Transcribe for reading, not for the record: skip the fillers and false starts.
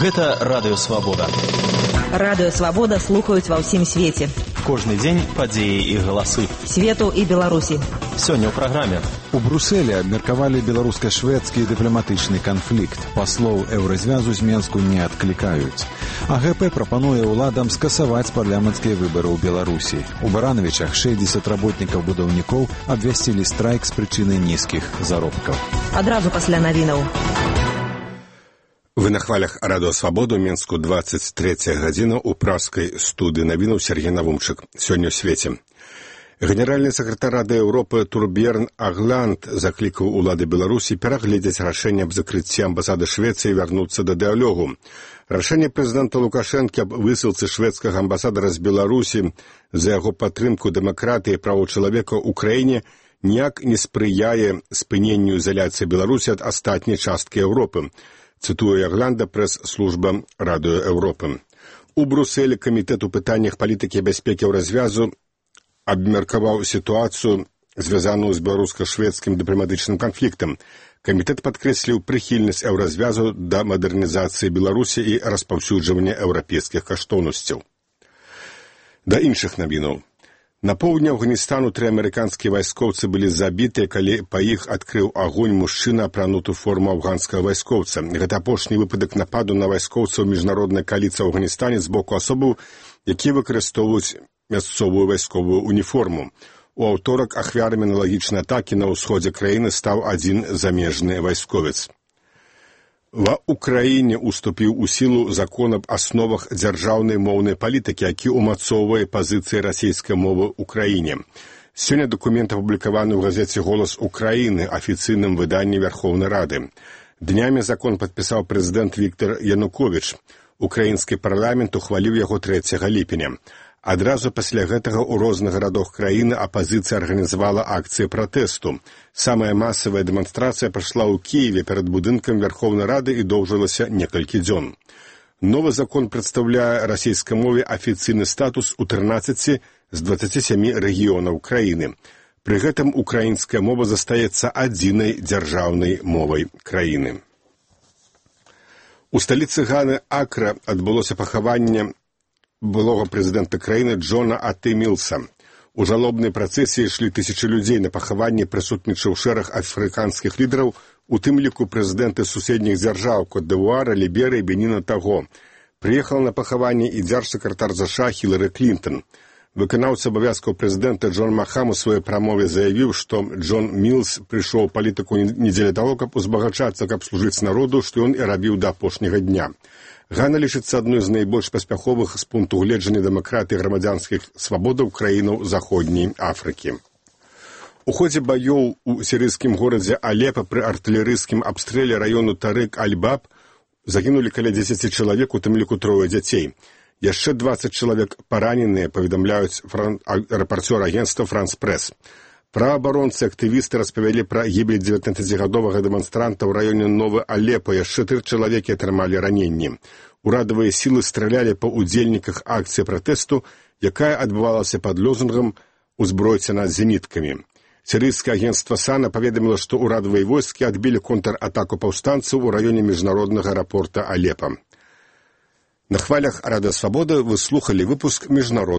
Гэта Радыё Свабода. Радыё Свабода слухаюць ва ўсім свеце. Кожны дзень падзеі і галасы. Свету і Беларусі. Сёння ў праграме. У Брусэлі абмеркавалі беларуска-шведскі дыпламатычны канфлікт. Паслоў еўразвязу з Менску не адклікаюць. АГП прапануе ўладам скасаваць парламенцкія выбары ў Беларусі. У Баранавічах 60 работнікаў-будаўнікоў абвясцілі страйк з прычыны нізкіх заробкаў. Адразу пасля навінаў. Вы на хвалях Радыё Свабоду, Менску, 23 гадзіна, у пражскай студыі навінаў Сергей Навумчык. Сёння ў свеце. Генеральны сакратар Рады Еўропы Турберн Агланд заклікаў улады Беларусі перагледзець рашэнне аб закрыцці амбасады Швецыі і вярнуцца да дыялогу. Рашэнне прэзідэнта Лукашэнкі аб высылцы шведскага амбасадара з Беларусі за яго падтрымку дэмакратыі і правоў чалавека ў краіне ніяк не спрыяе спыненню ізаляцыі Беларусі ад астатняй часткі Еўропы. Цытуе Агланда прэс-служба Радыё Еўропы. У Брусэлі камітэт у пытаннях палітыкі і бяспекі развязу абмеркаваў сітуацыю, звязаную з беларуска-шведскім дыпламатычным канфліктам. Камітэт падкрэсліў прыхільнасць еўразвязу да мадэрнізацыі Беларусі і распаўсюджвання еўрапейскіх каштоўнасцяв. Да іншых навінаў. На поўдні Афганістану 3 амерыканскія вайскоўцы былі забітыя, калі па іх адкрыў агонь мужчына, апрануты ў форму афганскага вайскоўца. Гэта апошні выпадак нападу на вайскоўцаў міжнароднай кааліцыі ў Афганістане з боку асобаў, якія выкарыстоўваюць мясцовую вайсковую уніформу. У аўторак ахвярамі аналагічнай атакі на ўсходзе краіны стаў адзін замежны вайсковец. Ва Ўкраіне уступіў у сілу закон аб асновах дзяржаўнай моўнай палітыкі, які ўмацоўвае пазіцыі расійскай мовы ў краіне. Сёння дакумент апублікаваны ў газеце «Голас Украіны», афіцыйным выданні Верховнай Рады. Днямі закон падпісаў прэзідэнт Віктор Януковіч. Украінскі парламент ухваліў яго 3 ліпеня. Адразу пасля гэтага ў розных гарадах краіны апазіцыя арганізавала акцыі пратэсту. Самая масавая дэманстрацыя прайшла ў Кіеве перад будынкам Верховнай Рады і доўжылася некалькі дзён. Новы закон прадстаўляе расійскай мове афіцыйны статус у 13 з 27 рэгіёнаў краіны. Пры гэтым украінская мова застаецца адзінай дзяржаўнай мовай краіны. У сталіцы Ганы Акра адбылося пахаванне былога прэзідэнта краіны Джона А.Т. Мілса. У жалобнай працэсіі ішлі тысячы людзей. На пахаванні прысутнічаў шэраг афрыканскіх лідараў, у тым ліку прэзідэнты суседніх дзяржаў Кот-д'Івуара, Ліберыі, Беніна, Таго. Прыехала на пахаванне і дзяржсакратар ЗША Хілары Клінтон. Выканаўца абавязкаў прэзідэнта Джон Махам у сваёй прамове заявіў, што Джон Мілс прыйшоў у палітыку не дзеля таго, каб узбагачацца, каб служыць народу, што ён і рабіў да апошняга дня. Гана лічыцца адной з найбольш паспяховых з пункту гледжання дэмакратыі і грамадзянскіх свабодаў краінаў Заходняй Афрыкі. У ходзе баёў у сірыйскім горадзе Алепа пры артылерыйскім абстрэле раёну Тарык-Аль-Баб загінулі каля 10 чалавек, у тым ліку 3 дзяцей. Яшчэ 20 чалавек параненыя, паведамляюць рэпарцёр агенцтва «Франс-Прэс». Праабаронцы актывісты распавялі пра гібель 19гадовага дэманстранта ў раёне Новы Алепа. Яшчэ 3 чалавекі атрымалі раненні. Урадавыя сілы стралялі па удзельніках акцыі пратэсту, якая адбывалася пад лозунгам «Узбройце нас зеніткамі». Сірыйскае агенцтва САНА паведаміла, што ўрадавыя войскі адбілі контратаку паўстанцаў у раёне міжнароднага аэрапорта Алепа. На хвалях Радыё Свабода вы слухалі выпуск міжнароднага